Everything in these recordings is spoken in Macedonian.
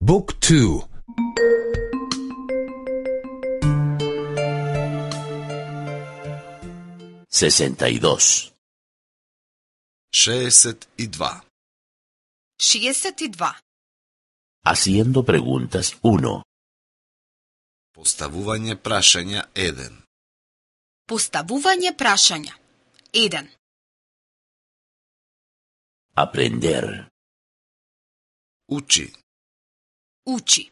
Book 2. Sesenta y dos. 62. 62. Haciendo preguntas 1. Поставување прашања 1. Поставување прашања 1. Aprender. Учи. Учи.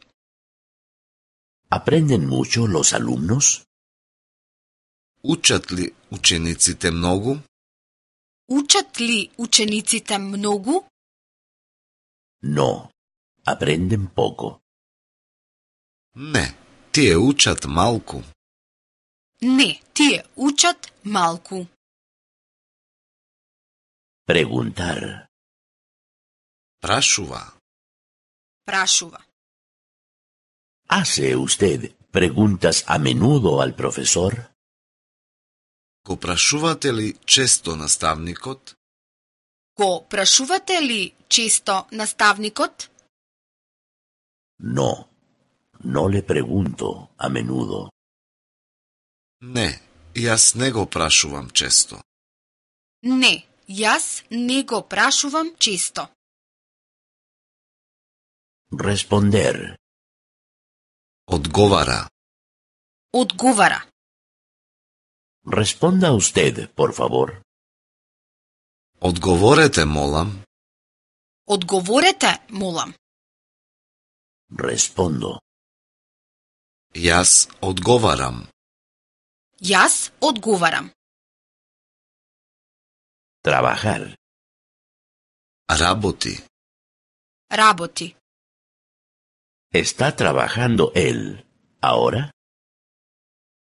¿Aprenden mucho los alumnos? Учат ли учениците многу? Учат ли учениците многу? No. Aprenden poco. Не, тие учат малку. Не, тие учат малку. Preguntar. Прашува. Прашува. ¿Hace usted preguntas a menudo al profesor? Го прашувате ли често наставникот? Го прашувате ли често наставникот? No. No le pregunto a menudo. Не, јас не го прашувам често. Не, јас не го прашувам често. Responder. Одговара. Одговара. Responda usted, por favor. Одговорете, молам. Одговорете, молам. Respondo. Јас одговарам. Јас одговарам. Trabajar. Работи. Работи. ¿Está trabajando él ahora?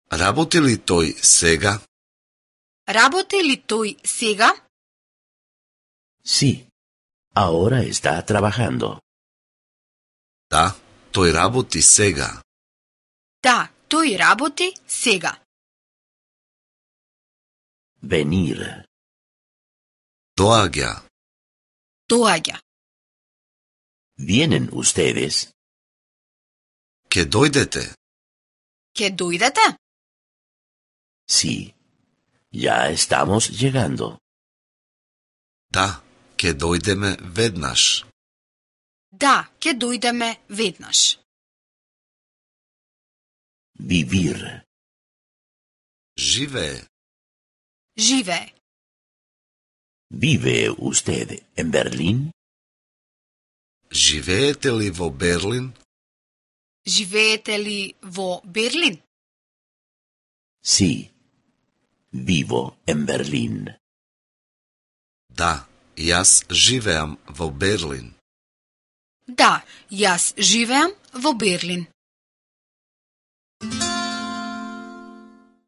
Работи ли тој сега? Работи ли тој сега? Sí. Ahora está trabajando. Да, тој работи сега. Да, тој работи сега. Venir. Доаѓа. Доаѓа. ¿Vienen ustedes? Ке дојдете. Ке дојдете? Sí. Ya estamos llegando. Да, ке дојдеме веднаш. Да, ке дојдеме веднаш. Vivir. Живее. Живее. ¿Vive usted en Berlín? Живеете ли во Берлин? Живеете ли во Берлин? Sí. Vivo en Berlín. Да, јас живеам во Берлин. Да, јас живеам во Берлин.